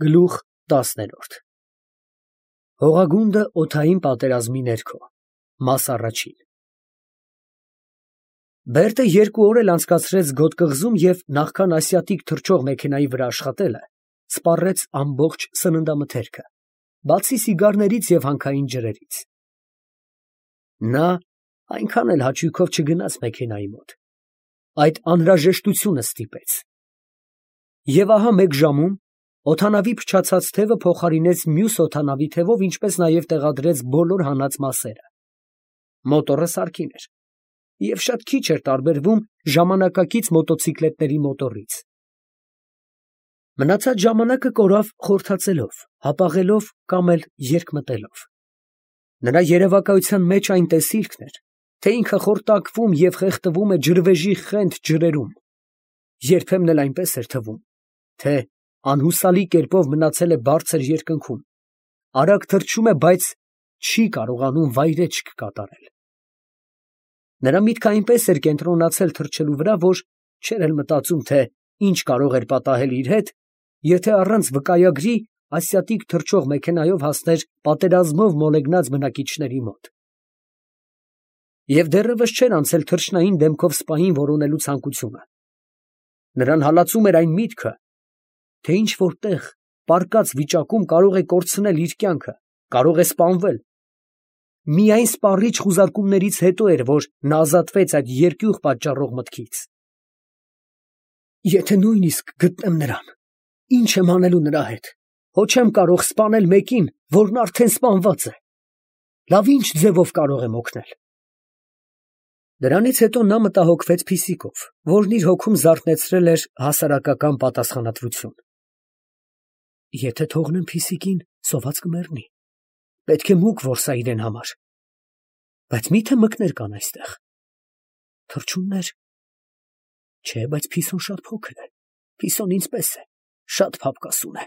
Գլուխ 10 Հողագունդը օդային պատերազմի ներքո Մաս առաջին Բերտը 2 օր էլ անցկացրեց գոտ կղզում և նախքան ասիատիկ թռչող մեքենայի վրա աշխատելը, սպառեց ամբողջ սննդամթերքը, բացի սիգարներից և հանքային ջրերից։ Նա այնքան էլ հաճույքով չգնաց մեքենայի մոտ, այդ անհրաժեշտությունը ստիպեց։ Եվ ահա մեկ ժամում օդանավի փչացած թևը փոխարինեց մյուս օդանավի թևով, ինչպես նաև տեղադրեց բոլոր հանած մասերը։ Մոտորը սարքին էր և շատ քիչ էր տարբերվում ժամանակակից մոտոցիկլետների մոտորից։ Մնացած ժամանակը կորավ խորթացելով, հապաղելով կամ էլ երկմտելով։ Նրա երևակայության մեջ այն տեսիլքն էր, թե ինքը խորտակվում և խեղդվում է ջրվեժի խենթ ջրերում, երբեմն էլ այնպես էր թվում, թե անհուսալի կերպով մնացել է բարձր երկնքում, արագ թռչում է, բայց չի կարողանում վայրէջք կատարել։ Նրա միտքը այնպես էր կենտրոնացել թռչելու վրա, որ չէր էլ մտածում, թե ինչ կարող էր պատահել իր հետ, եթե առանց վկայագրի ասիատիկ թռչող մեքենայով հասներ պատերազմով մոլեգնած բնակիչների մոտ։ Եվ դեռևս չէր անցել թռչնային դեմքով սպային որոնելու ցանկությունը։ Նրան հալածում էր այն միտքը, թե ինչ֊որ տեղ, պառկած վիճակում կարող է կորցնել իր կյանքը, կարող է սպանվել։ Միայն սպառիչ խուզարկումներից հետո էր, որ նա ազատվեց այդ երկյուղ պատճառող մտքից։ Եթե նույնիսկ գտնեմ նրան, ի՞նչ եմ անելու նրա հետ, հո չեմ կարող սպանել մեկին, որն արդեն սպանված է։ Լավ ի՞նչ ձևով կարող եմ օգնել։ Դրանից հետո նա մտահոգվեց Փիսիկով, որն իր հոգում զարթնեցրել էր հասարակական պատասխանատվություն։ Եթե թողնեմ Փիսիկին, սոված կմեռնի, պետք է մուկ որսա իրեն համար։ Բայց մի՞թե մկներ կան այստեղ։ Թռչուններ։ Չէ, բայց Փիսոն շատ փոքր է, Փիսոն ինձ պես է, շատ փափկասուն է։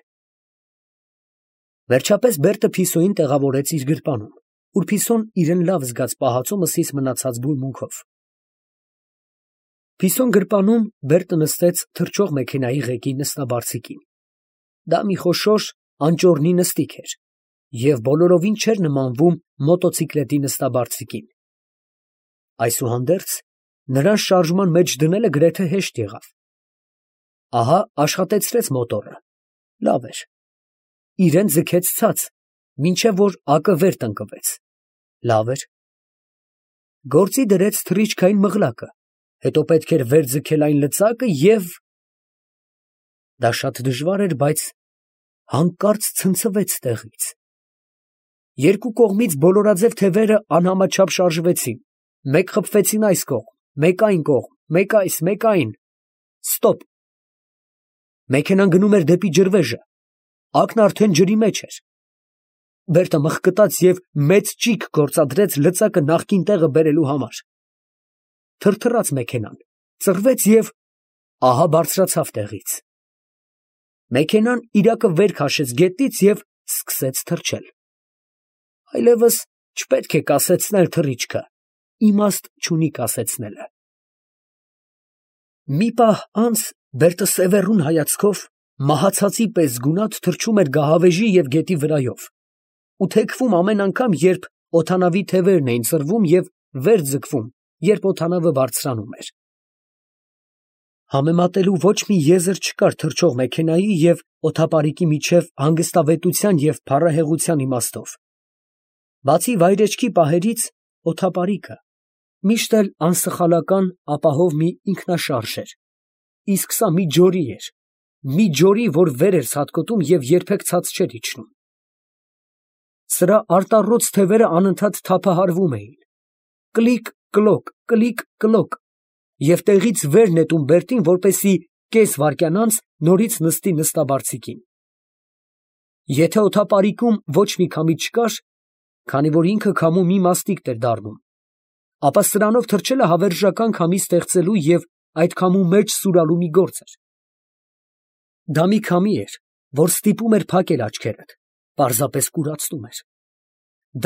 Վերջապես Բերտը Փիսոյին տեղավորեց իր գրպանում, ուր Փիսոն իրեն լավ զգաց պահածո մսից մնացած բուրմունքով։ Փիսոն գրպանում Բերտը նստեց թռչող մեքենայի ղեկի նստաբարձիկին։ Դա մի խոշոր անճոռնի նստիկ էր և բոլորովին չէր նմանվում մոտոցիկլետի նստաբարձիկին։ Այսուհանդերձ, նրան շարժման մեջ դնելը գրեթե հեշտ եղավ։ Ահա աշխատեցրեց մոտորը, լավ էր։ Իրան ձգեց ցած, մինչև որ ակը վեր տնկվեց, լավ էր։ Գործի դրեց թռիչքային մղլակը, հետո պետք էր վեր ձգել այն լծակը և… Դա շատ դժվար էր, բայց հանկարծ ցնցվեց տեղից։ Երկու կողմից բոլորաձև թևերը անհամաչափ շարժվեցին, մեկ խփվեցին այս կողմ, մեկ այն կողմ, մեկ այս, մեկ այն… Ստոպ։ Մեքենան գնում էր դեպի ջրվեժը, ակն արդեն ջրի մեջ էր։ Բերտը մղկտաց և մեծ ճիգ գործադրեց լծակը նախկին տեղը բերելու համար։ Թրթռաց մեքենան, ծռվեց և… ահա բարձրացավ տեղից։ Մեքենան իրակը վեր քաշեց գետնից և սկսեց թռչել։ Այլևս չպետք է կասեցնել թռիչքը, իմաստ չունի կասեցնելը։ Մի պահ անց Բերտը սևեռուն հայացքով մահացածի պես գունատ թռչում էր գահավեժի և գետի վրայով ու թեքվում ամեն անգամ, երբ օդանավի թևերն էին ծռվում և վեր ձգվում, երբ օդանավը բարձրանում էր։ Համեմատելու ոչ մի եզր չկար թռչող մեքենայի և օդապարիկի միջև հանգստավետության և փառահեղության իմաստով։ Բացի վայրեջքի պահերից, օդապարիկը միշտ էլ անսխալական ապահով մի ինքնաշարժ էր, իսկ սա մի ջորի էր, մի ջորի, որ վեր էր ցատկոտում և երբեք ցած չէր իջնում։ Սրա արտառոց թևերը անընդհատ թափահարվում էին, կլիկ֊կլոկ, կլիկ֊կլոկ, և տեղից վեր նետում Բերտին, որպեսզի կես վայրկյան անց նորից նստի նստաբարձիկին։ Եթե օդապարիկում ոչ մի քամի չկար, քանի որ ինքը քամու մի մաստիկ էր դառնում, ապա սրանով թռչելը հավերժական քամի ստեղծելու և այդ քամու մեջ սուրալու մի գործ էր։ Դա մի քամի էր, որ ստիպում էր փակել աչքերդ, պարզապես կուրացնում էր։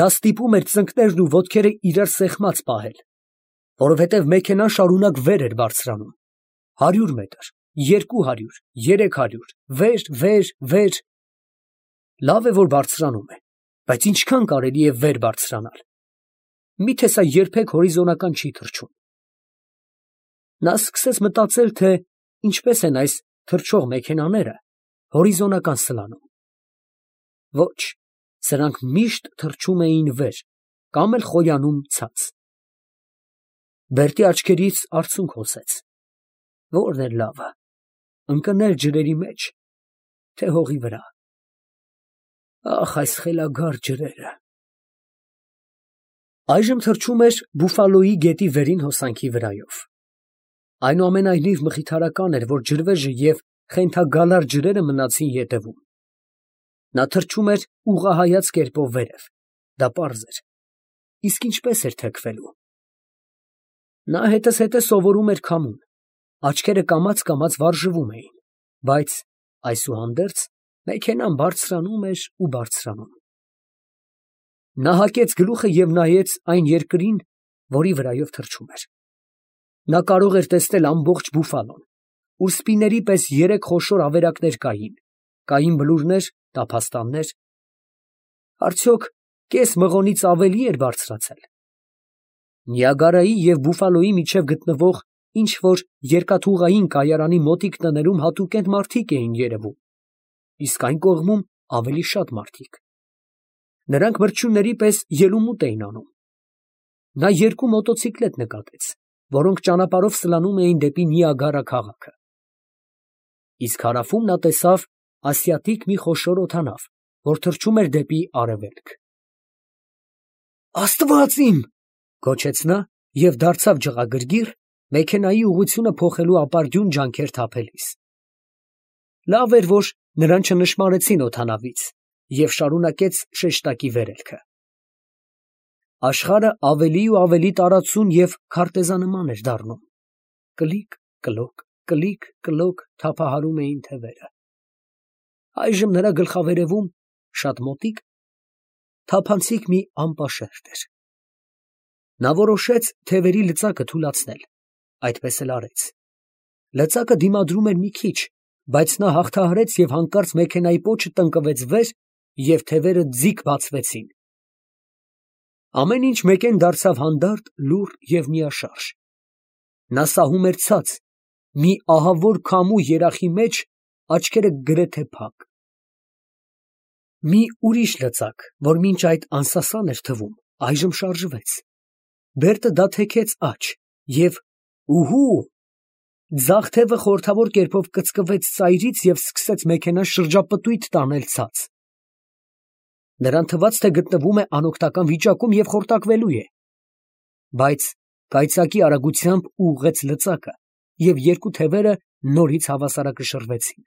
Դա ստիպում էր ծնկներն ու ոտքերը իրար սեղմած պահել, որովհետև մեքենան շարունակ վեր էր բարձրանում, 100 մետր, 200, 300, վեր, վեր, վեր, Լավ է, որ բարձրանում է, բայց ինչքան կարելի է վեր բարձրանալ։ Միթե սա երբեք հորիզոնական չի թռչում։ Նա սկսեց մտածել, թե ինչպես են այս թռչող մեքենաները հորիզոնական սլանում։ Ոչ, սրանք միշտ թռչում էին վեր կամ էլ խոյանում ցած։ Բերտի աչքերից արցունք հոսեց։ Ո՞րն է լավը, ընկնել ջրերի մեջ, թե հողի վրա։ Ախ, այս խելագար ջրերը։ Այժմ թռչում էր Բուֆալոյի գետի վերին հոսանքի վրայով։ Այնուամենայնիվ մխիթարական էր, որ ջրվեժը և խենթագալար ջրերը մնացին ետևում։ Նա թռչում էր ուղղահայաց կերպով վերև, դա պարզ էր, իսկ ինչպես էր թեքվելու։ Նա հետզհետե սովորում էր քամուն, աչքերը կամաց վարժվում էին, բայց այսուհանդերձ մեքենան բարձրանում էր ու բարձրանում։ Նա հակեց գլուխը և նայեց այն երկրին, որի վրայով թռչում էր։ Նա կարող էր տեսնել ամբողջ Բուֆալոն, ուր սպիների պես երեք խոշոր ավերակներ կային բլուրներ, տափաստաններ։ Արդյոք կես մղոնից ավելի էր բարձրացել։ Նիագարայի և Բուֆալոյի միջև գտնվող ինչ֊որ երկաթուղային կայարանի մոտիկ տներում հատուկենտ մարդիկ էին երևում, իսկ այն կողմում ավելի շատ մարդիկ։ Նրանք մրջյունների պես ելումուտ էին անում։ Նա երկու մոտոցիկլետ նկատեց, որոնք ճանապարհով սլանում էին դեպի Նիագարա քաղաքը։ Իսկ հարավում նա տեսավ ասիատիկ մի խոշոր օդանավ, որ թռչում էր դեպի արևելք։ «Աստված իմ», գոչեց նա և դարձավ ջղագրգիռ, մեքենայի ուղղությունը փոխելու ապարդյուն ջանքեր թափելիս։ Լավ էր, որ նրան չնշմարեցին օդանավից, և շարունակեց շեշտակի վերելքը։ Աշխարհը ավելի ու ավելի տարածուն և քարտեզանման էր դառնում։ Կլիկ, կլոկ, կլիկ, կլոկ թափահարում էին թևերը։ Այժմ նրա գլխավերևում, շատ մոտիկ, թափանցիկ մի անպաշերտ էր։ Նա որոշեց թևերի լծակը թուլացնել, այդպես էլ արեց։ Լծակը դիմադրում էր մի քիչ, բայց նա հաղթահարեց և հանկարծ մեքենայի պոչը տնկվեց վեր, և թևերը ձիգ բացվեցին։ Ամեն ինչ մեկեն դարձավ հանդարտ, լուռ և միաշարժ։ Նա սահում էր ցած, մի ահավոր քամու երախի մեջ, աչքերը գրեթե փակ։ Մի ուրիշ լծակ, որ մինչ այդ անսասան էր թվում, այժմ շարժվեց։ Բերտը դա թեքեց աջ և ուհու, ձախ թևը խորհրդավոր կերպով կծկվեց ծայրից և սկսեց մեքենան շրջապտույտ տանել ցած։ Նրան թվաց, թե գտնվում է անօգնական վիճակում և խորտակվելու է։ Բայց կայծակի արագությամբ ուղղեց լծակը, և երկու թևերը նորից հավասարակշռվեցին։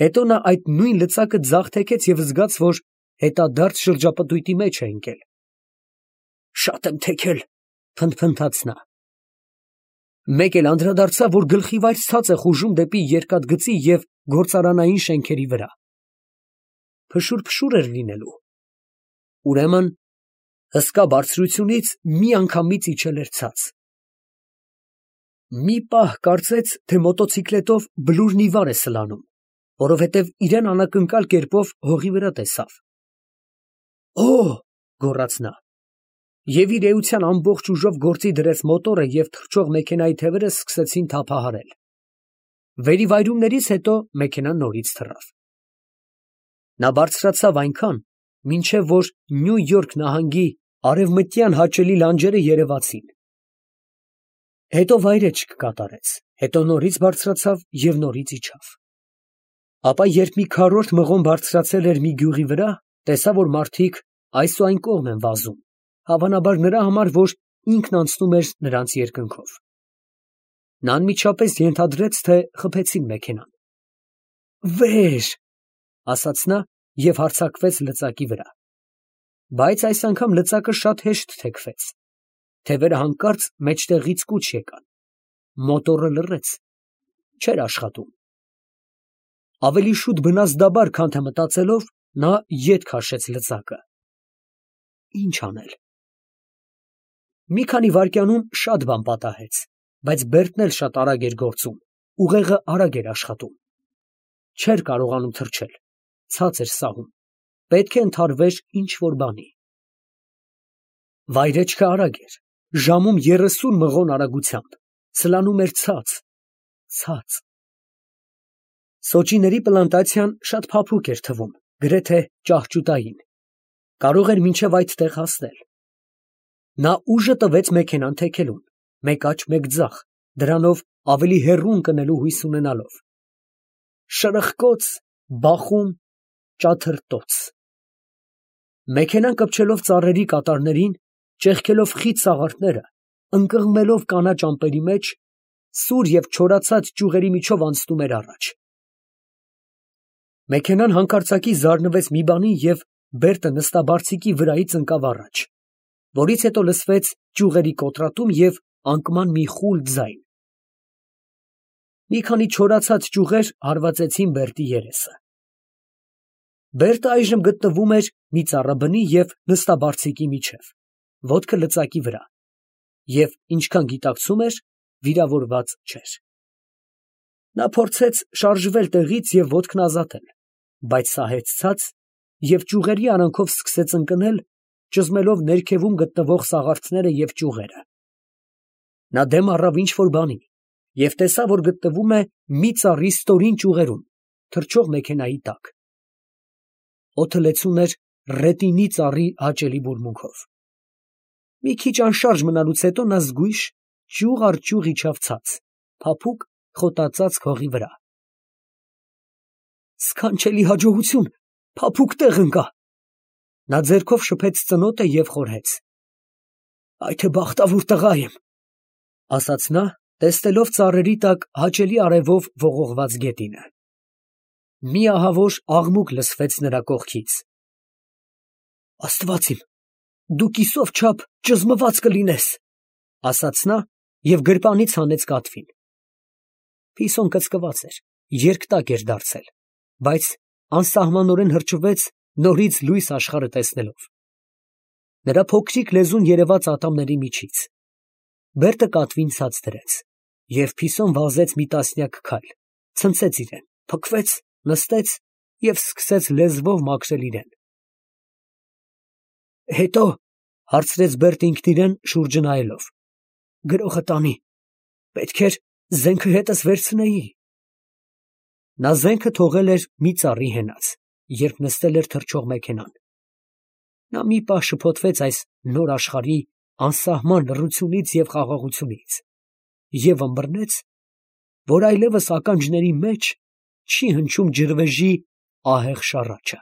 Հետո նա այդ նույն լծակը ձախ թեքեց և զգաց, որ հետադարձ շրջապտույտի մեջ է ընկել։ «Շատ եմ թեքել», փնթփնթաց նա։ Մեկ էլ անդրադարձավ, որ գլխիվայր ցած է խուժում դեպի երկաթգծի և գործարանային շենքերի վրա։ Փշուր էր լինելու։ Ուրեմն հսկա բարձրությունից միանգամից իջել էր ցած։ Մի պահ կարծեց, թե մոտոցիկլետով բլուրն ի վար է սլանում, որովհետև իրան անակնկալ կերպով հողի վրա տեսավ։ «Օ՜», գոռաց նա, և իր էության ամբողջ ուժով գործի դրեց մոտորը և թռչող մեքենայի թևերը սկսեցին թափահարել։ Վերիվայրումներից հետո մեքենան նորից թռավ։ Նա բարձրացավ այնքան, մինչև որ Նյու Յորք նահանգի արևմտյան հաճելի լանջերը երևացին։ Հետո վայրէջք կատարեց, հետո նորից բարձրացավ և նորից իջավ։ Ապա երբ մի քառորդ մղոն բարձրացել էր մի գյուղի վրա, տեսավ, որ մարդիկ այս ու այն կողմ են վազում, հավանաբար նրա համար, որ ինքն անցնում էր նրանց երկնքով։ Նա անմիջապես ենթադրեց, թե խփեցին մեքենան։ «Վեր», ասաց նա և հարձակվեց լծակի վրա։ Բայց այս անգամ լծակը շատ հեշտ թեքվեց։ Թևերը հանկարծ մեջտեղից կուչ եկան։ Մոտորը լռեց, չէր աշխատում։ Ավելի շուտ բնազդաբար, քան թե մտածելով, նա ետ քաշեց լծակը։ Ի՞նչ անել։ Մի քանի վայրկյանում շատ բան պատահեց, բայց Բերտն էլ շատ արագ էր գործում, ուղեղը արագ էր աշխատում։ Չէր կարողանում թռչել, ցած էր սահում, պետք է ընդհարվեր ինչ-որ բանի։ Վայրեջքը արագ էր, ժամում 30 մղոն արագությամբ, սլանում էր ցած։ Սոճիների պլանտացիան շատ փափուկ էր թվում, գրեթե ճահճուտային, կարող էր մինչև այդտեղ հասնել։ Նա ուժը տվեց մեքենան թեքելուն, մեկ աջ, մեկ ձախ, դրանով ավելի հեռու ընկնելու հույս ունենալով։ Շրխկոց, բախում, ճաթրտոց։ Մեքենան կպչելով ծառերի կատարներին, ճեղքելով խիտ սաղարթները, ընկղմելով կանաչ ամպերի մեջ, սուր և չորացած ճյուղերի միջով անցնում էր առաջ։ Մեքենան հանկարծակի զարնվեց մի բանի և Բերտը նստաբարձիկի վրայից ընկավ առաջ, որից հետո լսվեց ճյուղերի կոտրատում և անկման մի խուլ ձայն։ Մի քանի չորացած ճյուղեր հարվածեցին Բերտի երեսը։ Բերտը այժմ գտնվում էր մի ծառաբնի և նստաբարձիկի միջև, ոտքը լծակի վրա, և ինչքան գիտակցում էր, վիրավորված չէր։ Նա փորձեց շարժվել տեղից և ոտքն ազատել, բայց սահեցած և ճյուղերի արանքով սկսեց ընկնել, ճզմելով ներքևում գտնվող սաղարթները և ճյուղերը։ Նա դեմ առավ ինչ֊որ բանի և տեսավ, որ գտնվում է մի ծառի ստորին ճյուղերում, թռչող մեքենայի տակ։ Օդը լեցուն էր ռետինի ծառի հաճելի բուրմունքով։ Մի քիչ անշարժ մնալուց հետո նա զգույշ ճյուղ առ ճյուղ իջավ ցած, փափուկ խոտածածկ հողի վրա։ Սքանչելի հաջողություն, փափուկ տեղ ընկա։ Նա ձեռքով շփեց ծնոտը և խորհեց. «Այ թե բախտավոր տղա եմ», ասաց նա, տեսնելով ծառերի տակ հաճելի արևով ողողված գետինը։ Մի ահավոր աղմուկ լսվեց նրա կողքից։ «Աստված իմ, դու կիսով չափ ճզմված կլինես», ասաց նա և գրպանից հանեց կատվին։ Փիսոն կծկված էր, երկտակ էր դարձել, բայց անսահմանորեն հրճվեց նորից լույս աշխարհը տեսնելով։ Նրա փոքրիկ լեզուն երևաց ատամների միջից։ Բերտը կատվին ցած դրեց, և Փիսոն վազեց մի տասնյակ քայլ, ցնցեց իրեն, փքվեց, նստեց և սկսեց լեզվով մաքրել իրեն։ «Հետո», հարցրեց Բերտը ինքն իրեն, շուրջը նայելով, «գրողը տանի, պետք էր զենքը հետս վերցնեի»։ Նա զենքը թողել էր մի ծառի հենած, երբ նստել էր թռչող մեքենան։ Նա մի պահ շփոթվեց այս նոր աշխարհի անսահման լռությունից և խաղաղությունից և ըմբռնեց, որ այլևս ականջների մեջ չի հնչում ջրվեժի ահեղ շառաչը։